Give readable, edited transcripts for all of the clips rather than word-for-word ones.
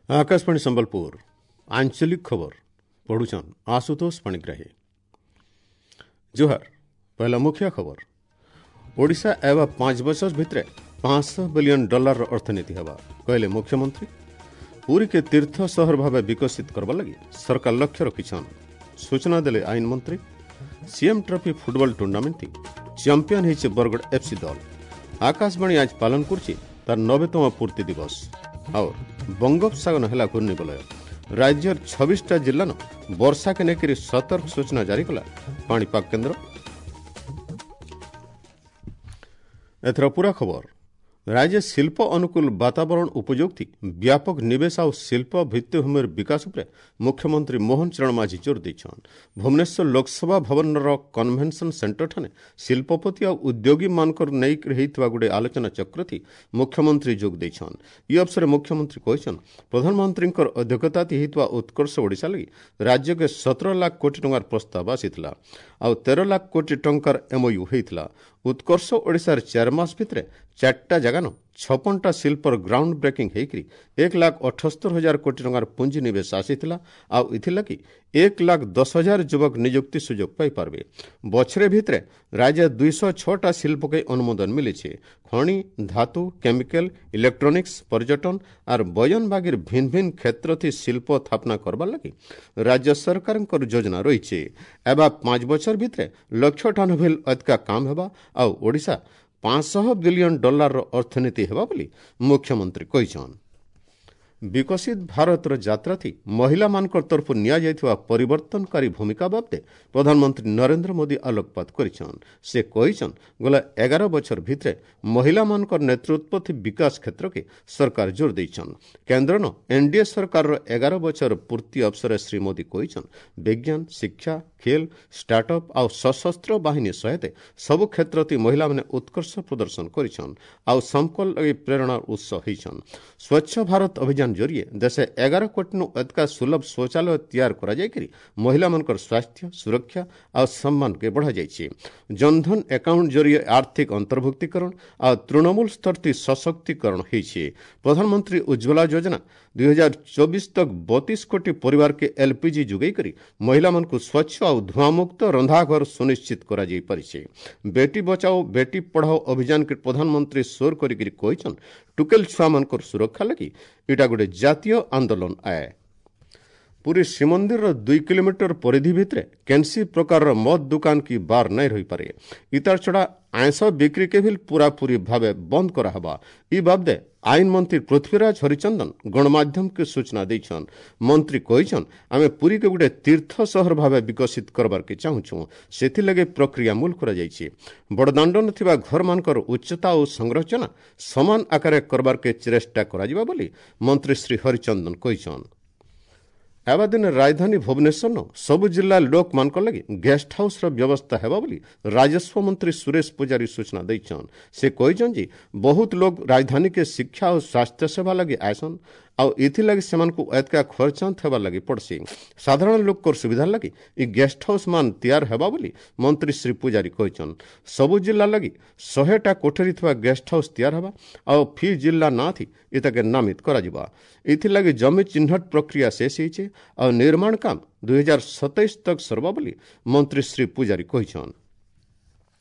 आकाशवाणी संबलपुर आंचलिक खबर पढ़ुछन आशुतोष पाणिग्राही। जोहार। पहला मुख्य खबर, ओडिशा एवा 5 बरस भितरे 500 बिलियन डॉलर अर्थनीति हेबा कहले मुख्यमंत्री। पुरी के तीर्थ शहर भावे विकसित करबा लगी सरकार लक्ष्य रखिछन, सूचना देले आईन मंत्री। CM trophy football tournament champion होइছে बरगढ़ एफसी दल। आकाशवाणी आज पालन करछि तार 90तम पूर्ति दिवस। और बंगोपसागर हेला घूर्णिवलय, राज्यर 26टा जिल्लान वर्षा के नेकरी सतर्क सूचना जारी कला पाणीपाग केंद्र। एथर पूरा खबर। राज्य शिल्प अनुकूल वातावरण उपयोगी व्यापक निवेश और शिल्प भित्तिभूमिर विकास उपरे मुख्यमंत्री मोहन चरण माझी जोर देछन। भुवनेश्वर लोकसभा भवनर कन्भेनसन सेंटर ठाने शिल्पपति और उद्योगी मानकर नेइकर हेइतवा गुडे आलोचना चक्र थी मुख्यमंत्री जोग देछन। इ अवसर मुख्यमंत्री कहिछन प्रधानमंत्रींकर अध्यक्षता थी हेइतवा उत्कर्ष ओडिशा लगि राज्य के 17 लाख कोटी टंकार प्रस्ताव आसितला आ 13 लाख कोटी टंकार एमओयू हेइतला। उत्कर्ष ओडिशार 4 मास भितरे 4टा जागान 56टा शिल्पर ग्राउंड ब्रेकिंग हेइकरी 1,78,000 कोटी टंकार पूंजी निवेश आसितला आ इथिलाकि 1,10,000 युवक नियुक्ति सुযোগ पाई पारबे। बछरे भितरे राज्य 206टा शिल्पके अनुमोदन मिलिছে। खनि, धातु, केमिकल, इलेक्ट्रॉनिक्स, पर्यटन are बयन बागिर भिन्न भिन्न क्षेत्र थी शिल्प स्थापना करबा लागि राज्य सरकारंकर योजना रहिছে। एबा 5 बछर भितरे लक्ष्य ठान भेल अतका काम हेबा आ ओडिशा 500 बिलियन डॉलर अर्थनीति हेबा बोली मुख्यमंत्री कहिछन। विकसित भारत यात्रा थी महिला मानकर तरफ निया जाइଥିବା परिवर्तनकारी भूमिका बाबदे प्रधानमंत्री नरेंद्र मोदी आलोकपात करिछन। से कहिछन गला 11 बछर भितरे महिला मानकर नेतृत्व थी विकास क्षेत्र के सरकार जोर देछन। केंद्र न एनडीए सरकार 11 बछर पूर्ति अवसर श्री मोदी कहिछन विज्ञान, शिक्षा, खेल, स्टार्टअप आउ सशस्त्र बाहिनी सहित सब क्षेत्र थी महिला माने उत्कर्ष प्रदर्शन करिछन आउ समकल लगी प्रेरणा उत्स होइछन। स्वच्छ भारत अभियान जरिए देशे 11 कोटी नु अधिका सुलभ शौचालय तैयार करा जाइकरी महिला मानकर स्वास्थ्य, सुरक्षा आ सम्मान के बढ़ा जाइछि। जनधन अकाउंट जरिए आर्थिक अंतर्भुक्तिकरण आ तृणमूल स्तर ती सशक्तिकरण होइछि। प्रधानमंत्री उज्ज्वला योजना 2024 तक 32 कोटी परिवार के एलपीजी जुगाई करी महिला मानकु स्वच्छ आ धुआंमुक्त रंधाघर सुनिश्चित करा जाई परिछि। बेटी बचाओ बेटी पढ़ाओ अभियान के प्रधानमंत्री सोर करी कहिछन टुकेल छुआ मानकर सुरक्षा लगी इटा गोटे जातीय आंदोलन आए। पुरी श्रीमंदिर 2 किलोमीटर परिधि भितरे केनसी प्रकार मद दुकान की बार नहीं रही पारे। इतार छड़ा आइंस बिक्री के भी पूरापूरी भावे बंद करा हवा। इ बाबदे आईन मंत्री पृथ्वीराज हरिचंदन गणमाध्यम के सूचना देछन। मंत्री कहिछन आमे पुरी के गोटे तीर्थ शहर भावे विकसित करबार के चाहुछु, सेथि लगे प्रक्रिया मूल करा जाइछि। बड़दाण्डन थिबा घर मानकर उच्चता और संरचना समान आकार करबार के चेष्टा करा जिबा बोली मंत्री श्री हरिचंदन कहिछन। एबा दिन राजधानी भुवनेश्वर सब जिला लोक मानकर लगी गेस्ट हाउस र व्यवस्था हेबा बोली राजस्व मंत्री सुरेश पुजारी सूचना देछन। से कहिछन जी बहुत लोग राजधानी के शिक्षा और स्वास्थ्य सेवा लगी आयसन आउ इथि लगी सेमानको एतका खर्चांत हेबा लगी पड़सी। साधारण लोक कर सुविधा लगी इ गेस्ट हाउस मान तैयार हेबा बोली मंत्री श्री पुजारी कहिछन। सब जिला लगी 100टा कोठरी थिबा गेस्ट हाउस तैयार हेबा आउ फी जिला ना थी इताके नामित करा जिबा। इथि लगी जमी चिन्हट प्रक्रिया शेष होइছে आ निर्माण काम 2027 तक सरबा बोली मंत्री श्री पुजारी कहिछन।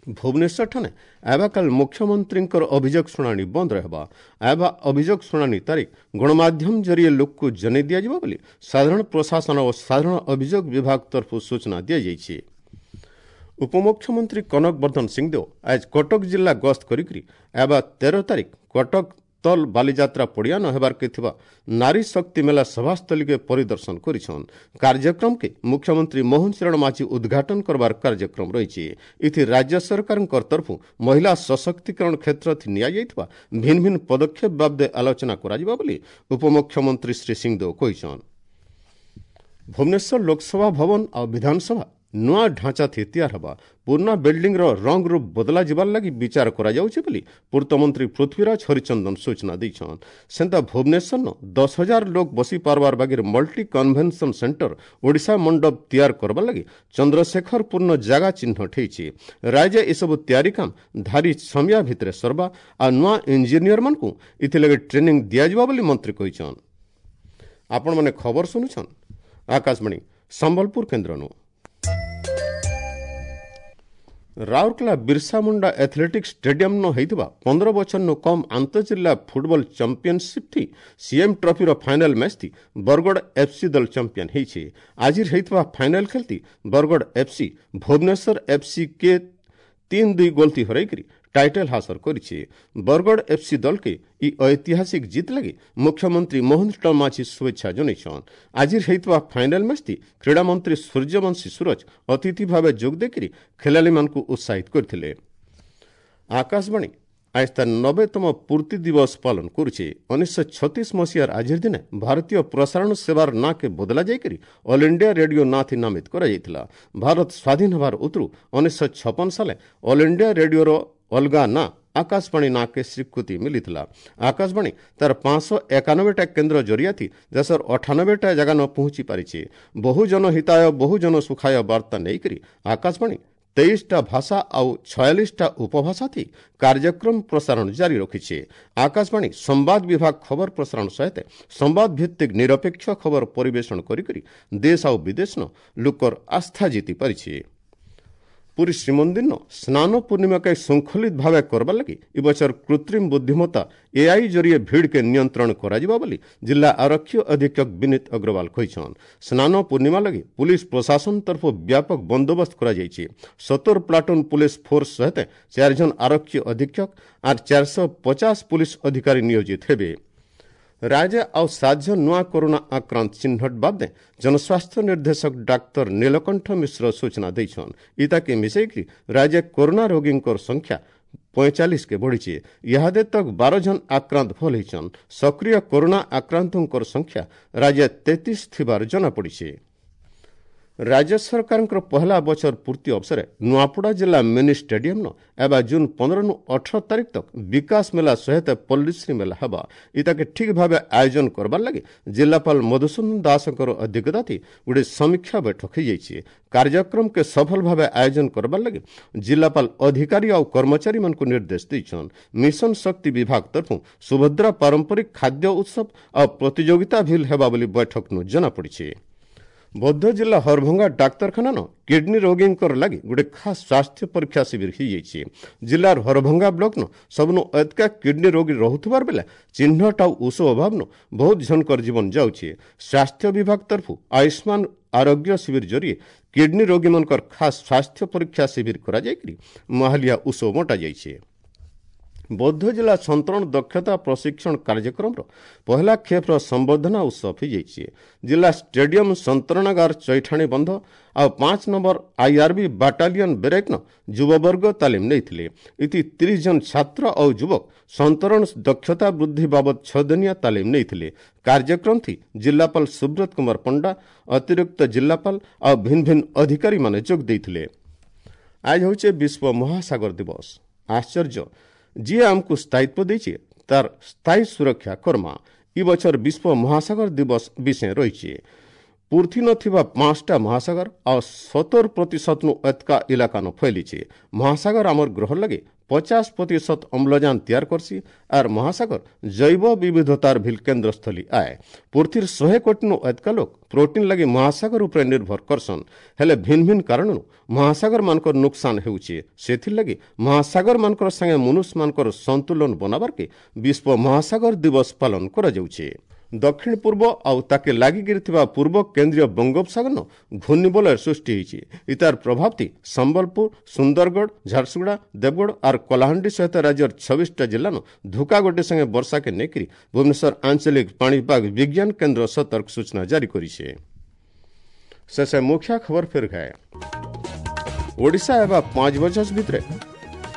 भुवनेश्वर ठाने एबाकाल मुख्यमंत्रींकर अभियोग शुणाणी बंद रहबा। एबा अभियोग शुणाणी तारीख गणमाध्यम जरिए लोक को जने दिया जिबा बोली साधारण प्रशासन और साधारण अभियोग विभाग तरफ सूचना दिया जाइछि। उपमुख्यमंत्री कनक वर्धन सिंहदेव आज कटक जिला गस्त करिकरी एबा 13 तारीख कटक तल बालिजात्रा पड़िया न हेबार के थिबा नारी शक्ति मेला सभास्थली के परिदर्शन करिछन। कार्यक्रम के मुख्यमंत्री मोहन चरण माझी उद्घाटन करबार कार्यक्रम रहिछि। इथि राज्य सरकारंकर तरफु महिला सशक्तिकरण क्षेत्र थि निया जाइतबा भिन्न भिन्न पदक्षेप बाबदे आलोचना करा जिबा बोली उपमुख्यमंत्री श्री सिंहदेव कहिछन। भुवनेश्वर लोकसभा भवन आ विधानसभा नुआ ढांचा थी तैयार हवा। पुरना बिल्डिंग रो रंग रूप बदला जिबार लगी विचार करा जाउछे बोली पूर्त मंत्री पृथ्वीराज हरिचंदन सूचना देछन। सेंता भुवनेश्वर न 10,000 लोग बसी पारबार बागीर मल्टी कन्वेंशन सेंटर ओडिशा मंडप तैयार करबा लगी चंद्रशेखरपुर जागा चिन्हट हेइछि। राज्य एसबु तैयारी काम धारी समिया भितरे सरबा आ नुआ इंजीनियर मानकु इथि लगी ट्रेनिंग दिया जिबा बोली मंत्री कहिछन। ଆପଣମାନେ ଖବର ଶୁଣୁଛନ୍ ଆକାଶବାଣୀ ସମ୍ବଲପୁର କେନ୍ଦ୍ରନୁ। ରାଉରକେଲା ବିର୍ସା ମୁଣ୍ଡା ଆଥଲେଟିକ୍ ଷ୍ଟାଡିୟମ୍ନ ହେଇଥିବା 15 ବଛରନୁ କମ୍ ଆନ୍ତଃଜିଲ୍ଲା ଫୁଟବଲ ଚାମ୍ପିୟନସିପ୍ ଥି ସିଏମ୍ ଟ୍ରଫିର ଫାଇନାଲ ମ୍ୟାଚ୍ ଥି ବରଗଡ଼ ଏଫ୍ସି ଦଳ ଚାମ୍ପିୟନ ହେଇଛି। ଆଜିର ହେଇଥିବା ଫାଇନାଲ ଖେଳତି ବରଗଡ଼ ଏଫ୍ସି ଭୁବନେଶ୍ୱର ଏଫ୍ସି କେ 3-2 ଗୋଲ ଥି ହରାଇକରି ଟାଇଟଲ ହାସଲ କରିଛି। ବରଗଡ଼ ଏଫ୍ସି ଦଳକେ ଇ ଐତିହାସିକ ଜିତ୍ ଲାଗି ମୁଖ୍ୟମନ୍ତ୍ରୀ ମୋହନ ଚରଣ ମାଝୀ ଶୁଭେଚ୍ଛା ଜଣାଇଛନ୍। ଆଜିର ହେଇଥିବା ଫାଇନାଲ ମ୍ୟାଚ୍ ଥି କ୍ରୀଡ଼ାମନ୍ତ୍ରୀ ସୂର୍ଯ୍ୟବଂଶୀ ସୂରଜ ଅତିଥି ଭାବେ ଯୋଗ ଦେଇକରି ଖେଳାଳିମାନଙ୍କୁ ଉତ୍ସାହିତ କରିଥିଲେ। ଆକାଶବାଣୀ ଆଜ ତାର 90ତମ ପୂର୍ତ୍ତି ଦିବସ ପାଳନ କରୁଛେ। 1936 ମସିହାର ଆଜିର ଦିନେ ଭାରତୀୟ ପ୍ରସାରଣ ସେବାର ନାଁକେ ବଦଲା ଯାଇକରି ଅଲ୍ ଇଣ୍ଡିଆ ରେଡିଓ ନାଁ ଥି ନାମିତ କରାଯାଇଥିଲା। ଭାରତ ସ୍ୱାଧୀନ ହେବାର ଉତରୁ 1956 ସାଲେ ଅଲ୍ ଇଣ୍ଡିଆ ରେଡିଓର ଅଲଗା ନାଁ ଆକାଶବାଣୀ ନାଁକେ ସ୍ୱୀକୃତି ମିଳିଥିଲା। ଆକାଶବାଣୀ ତାର 591ଟା କେନ୍ଦ୍ର ଜରିଆଥି ଦେଶର 98ଟା ଜାଗାନ ପହଞ୍ଚି ପାରିছে। ବହୁଜନ ହିତାୟ ବହୁଜନ ସୁଖାୟ ବାର୍ତ୍ତା ନେଇକରି ଆକାଶବାଣୀ 23ଟା ଭାଷା ଆଉ 46ଟା ଉପଭାଷା ଥି କାର୍ଯ୍ୟକ୍ରମ ପ୍ରସାରଣ ଜାରି ରଖିছে। ଆକାଶବାଣୀ ସମ୍ବାଦ ବିଭାଗ ଖବର ପ୍ରସାରଣ ସହିତ ସମ୍ବାଦ ଭିତ୍ତିକ ନିରପେକ୍ଷ ଖବର ପରିବେଷଣ କରିକରି ଦେଶ ଆଉ ବିଦେଶନ ଲୋକର ଆସ୍ଥା ଜିତି ପାରିছে। ପୁରୀ ଶ୍ରୀମନ୍ଦିର ସ୍ନାନ ପୂର୍ଣ୍ଣିମାକେ ଶୃଙ୍ଖଳିତ ଭାବେ କରବା ଲାଗି ଏ ବଛର କୃତ୍ରିମ ବୁଦ୍ଧିମତ୍ତା ଏଆଇ ଜରିଏ ଭିଡ଼କେ ନିୟନ୍ତ୍ରଣ କରାଯିବା ବୋଲି ଜିଲ୍ଲା ଆରକ୍ଷୀ ଅଧୀକ୍ଷକ ବିନୀତ ଅଗ୍ରୱାଲ କହିଛନ୍। ସ୍ନାନ ପୂର୍ଣ୍ଣିମା ଲାଗି ପୁଲିସ ପ୍ରଶାସନ ତରଫରୁ ବ୍ୟାପକ ବନ୍ଦୋବସ୍ତ କରାଯାଇଛି। 70 ପ୍ଲାଟୁନ ପୁଲିସ ଫୋର୍ସ ସହିତ 4 ଜଣ ଆରକ୍ଷୀ ଅଧୀକ୍ଷକ ଆର୍ 450 ପୁଲିସ ଅଧିକାରୀ ନିୟୋଜିତ ହେବେ। ରାଜ୍ୟ ଆଉ 7 ଜଣ ନୂଆ କରୋନା ଆକ୍ରାନ୍ତ ଚିହ୍ନଟ ବାଦେ ଜନସ୍ୱାସ୍ଥ୍ୟ ନିର୍ଦ୍ଦେଶକ ଡାକ୍ତର ନୀଳକଣ୍ଠ ମିଶ୍ର ସୂଚନା ଦେଇଛନ୍। ଇତାକେ ମିଶାଇକରି ରାଜ୍ୟ କରୋନା ରୋଗୀଙ୍କର ସଂଖ୍ୟା 45କେ ବଢ଼ିଛି। ଇହାଦେ ତକ୍ 12 ଜଣ ଆକ୍ରାନ୍ତ ଭଲ ହେଇଛନ୍। ସକ୍ରିୟ କରୋନା ଆକ୍ରାନ୍ତଙ୍କର ସଂଖ୍ୟା ରାଜ୍ୟ 33 ଥିବାର ଜଣାପଡ଼ିଛି। ରାଜ୍ୟ ସରକାରଙ୍କର ପହଲା ବଛର ପୂର୍ତ୍ତି ଅବସରେ ନୂଆପଡ଼ା ଜିଲ୍ଲା ମିନି ଷ୍ଟାଡିୟମ୍ନ ଏବେ ଜୁନ୍ 15ରୁ 18 ତାରିଖ ତକ୍ ବିକାଶ ମେଳା ସହିତ ପଲ୍ଲୀଶ୍ରୀ ମେଳା ହେବା। ଇତାକେ ଠିକ୍ ଭାବେ ଆୟୋଜନ କରବାର୍ ଲାଗି ଜିଲ୍ଲାପାଳ ମଧୁସୂଦନ ଦାସଙ୍କର ଅଧ୍ୟକ୍ଷତାଥି ଗୋଟେ ସମୀକ୍ଷା ବୈଠକ ହେଇଯାଇଛି। କାର୍ଯ୍ୟକ୍ରମକେ ସଫଳ ଭାବେ ଆୟୋଜନ କରବାର୍ ଲାଗି ଜିଲ୍ଲାପାଳ ଅଧିକାରୀ ଆଉ କର୍ମଚାରୀମାନଙ୍କୁ ନିର୍ଦ୍ଦେଶ ଦେଇଛନ୍। ମିଶନ ଶକ୍ତି ବିଭାଗ ତରଫରୁ ସୁଭଦ୍ରା ପାରମ୍ପରିକ ଖାଦ୍ୟ ଉତ୍ସବ ଆଉ ପ୍ରତିଯୋଗିତା ଭିଲ୍ ହେବା ବୋଲି ବୈଠକନୁ ଜଣାପଡ଼ିଛି। ବୌଦ୍ଧ ଜିଲ୍ଲା ହରଭଙ୍ଗା ଡାକ୍ତରଖାନାନ କିଡନୀ ରୋଗୀଙ୍କର ଲାଗି ଗୋଟେ ଖାସ୍ ସ୍ୱାସ୍ଥ୍ୟ ପରୀକ୍ଷା ଶିବିର ହେଇଯାଇଛି। ଜିଲ୍ଲାର ହରଭଙ୍ଗା ବ୍ଲକନ ସବୁନୁ ଏତକା କିଡନୀ ରୋଗୀ ରହୁଥିବାର ବେଲେ ଚିହ୍ନଟ ଆଉ ଔଷଧ ଅଭାବନୁ ବହୁତ ଜଣଙ୍କର ଜୀବନ ଯାଉଛି। ସ୍ୱାସ୍ଥ୍ୟ ବିଭାଗ ତରଫରୁ ଆୟୁଷ୍ମାନ ଆରୋଗ୍ୟ ଶିବିର ଜରିଏ କିଡନୀ ରୋଗୀମାନଙ୍କର ଖାସ୍ ସ୍ୱାସ୍ଥ୍ୟ ପରୀକ୍ଷା ଶିବିର କରାଯାଇକରି ମାହାଲିଆ ଔଷଧ ବଣ୍ଟାଯାଇଛି। ବୌଦ୍ଧ ଜିଲ୍ଲା ସନ୍ତରଣ ଦକ୍ଷତା ପ୍ରଶିକ୍ଷଣ କାର୍ଯ୍ୟକ୍ରମର ପହିଲା ଖେପ୍ର ସମ୍ବର୍ଦ୍ଧନା ଉତ୍ସବ ହୋଇଯାଇଛି। ଜିଲ୍ଲା ଷ୍ଟାଡିୟମ ସନ୍ତରଣାଗାର ଚୈଠାଣୀ ବନ୍ଧ ଆଉ 5 ନମ୍ବର ଆଇଆର୍ବି ବାଟାଲିୟନ ବେରେକ୍ନ ଯୁବବର୍ଗ ତାଲିମ ନେଇଥିଲେ। ଇତି 30 ଜଣ ଛାତ୍ର ଆଉ ଯୁବକ ସନ୍ତରଣ ଦକ୍ଷତା ବୃଦ୍ଧି ବାବଦ 6 ଦିନିଆ ତାଲିମ ନେଇଥିଲେ। କାର୍ଯ୍ୟକ୍ରମ ଥି ଜିଲ୍ଲାପାଳ ସୁବ୍ରତ କୁମାର ପଣ୍ଡା, ଅତିରିକ୍ତ ଜିଲ୍ଲାପାଳ ଆଉ ଭିନ୍ନ ଭିନ୍ନ ଅଧିକାରୀମାନେ ଯୋଗ ଦେଇଥିଲେ। ଆজ ହେଉଛି ବିଶ୍ୱ ମହାସାଗର ଦିବସ। ଆଶ୍ଚର୍ଯ୍ୟ, ଯିଏ ଆମକୁ ସ୍ଥାୟିତ୍ୱ ଦେଇଛି ତାର ସ୍ଥାୟୀ ସୁରକ୍ଷା କର୍ମା। ଇ ବଛର ବିଶ୍ୱ ମହାସାଗର ଦିବସ ବିଷୟ ରହିଛି। ପୂର୍ତ୍ତି ନଥିବା 5ଟା ମହାସାଗର ଆଉ 70% ନୁ ଏତକା ଇଲାକାନ ଫୈଲିଛି। ମହାସାଗର ଆମର ଗ୍ରହ ଲାଗି 50% ଅମ୍ଳଜାନ ତିଆର କରସି ଆର୍ ମହାସାଗର ଜୈବ ବିବିଧତାର ଭିଲ କେନ୍ଦ୍ରସ୍ଥଳୀ ଆଏ। ପୃଥିବୀର 100 କୋଟିନୁ ଏତକା ଲୋକ ପ୍ରୋଟିନ ଲାଗି ମହାସାଗର ଉପରେ ନିର୍ଭର କରସନ୍। ହେଲେ ଭିନ୍ନ ଭିନ୍ନ କାରଣରୁ ମହାସାଗର ମାନଙ୍କର ନୁକସାନ ହେଉଛି। ସେଥିର୍ଲାଗି ମହାସାଗର ମାନଙ୍କର ସାଙ୍ଗେ ମନୁଷ୍ୟମାନଙ୍କର ସନ୍ତୁଳନ ବନାବାର୍କେ ବିଶ୍ୱ ମହାସାଗର ଦିବସ ପାଳନ କରାଯାଉଛି। ଦକ୍ଷିଣ ପୂର୍ବ ଆଉ ତାକେ ଲାଗିକିରି ଥିବା ପୂର୍ବ କେନ୍ଦ୍ରୀୟ ବଙ୍ଗୋପସାଗରନ ଘୂର୍ଣ୍ଣିବଳୟ ସୃଷ୍ଟି ହେଇଛି। ଇତାର ପ୍ରଭାବଟି ସମ୍ବଲପୁର, ସୁନ୍ଦରଗଡ଼, ଝାରସୁଗୁଡ଼ା, ଦେବଗଡ଼ ଆର୍ କଳାହାଣ୍ଡି ସହିତ ରାଜ୍ୟର 26ଟା ଜିଲ୍ଲାନ ଧୁକା ଗୋଟେ ସାଙ୍ଗେ ବର୍ଷାକେ ନେଇକରି ଭୁବନେଶ୍ୱର ଆଞ୍ଚଳିକ ପାଣିପାଗ ବିଜ୍ଞାନ କେନ୍ଦ୍ର ସତର୍କ ସୂଚନା ଜାରି କରିছে। ଶେଷ ମୁଖ୍ୟ ଖବର ଫେର ଖାଏ। ଓଡ଼ିଶା ହେବା 5 ବର୍ଷ ଭିତରେ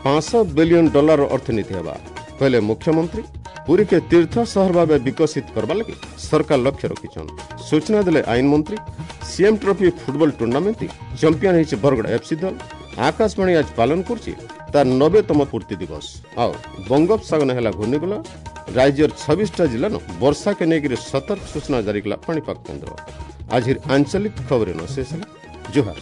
$500 ବିଲିୟନ ଅର୍ଥନୀତି ହେବା କହିଲେ ମୁଖ୍ୟମନ୍ତ୍ରୀ। ପୁରୀକେ ତୀର୍ଥ ସହର ଭାବେ ବିକଶିତ କରବା ଲାଗି ସରକାର ଲକ୍ଷ୍ୟ ରଖିଛନ୍, ସୂଚନା ଦେଲେ ଆଇନ ମନ୍ତ୍ରୀ। CM trophy football tournament champion ହେଇଛି ବରଗଡ଼ ଏଫ୍ସି ଦଳ। ଆକାଶବାଣୀ ଆଜ ପାଳନ କରୁଛି ତାର 90ତମ ପୂର୍ତ୍ତି ଦିବସ। ଆଉ ବଙ୍ଗୋପସାଗର ହେଲା ଘୂର୍ଣ୍ଣିବଳୟ, ରାଜ୍ୟର 26ଟା ଜିଲ୍ଲାନ ବର୍ଷାକେ ନେଇକରି ସତର୍କ ସୂଚନା ଜାରି କଲା ପାଣିପାଗ କେନ୍ଦ୍ର। ଆଜିର ଆଞ୍ଚଳିକ ଖବର ନ ଶେଷ ହେଲା। ଜୁହାର।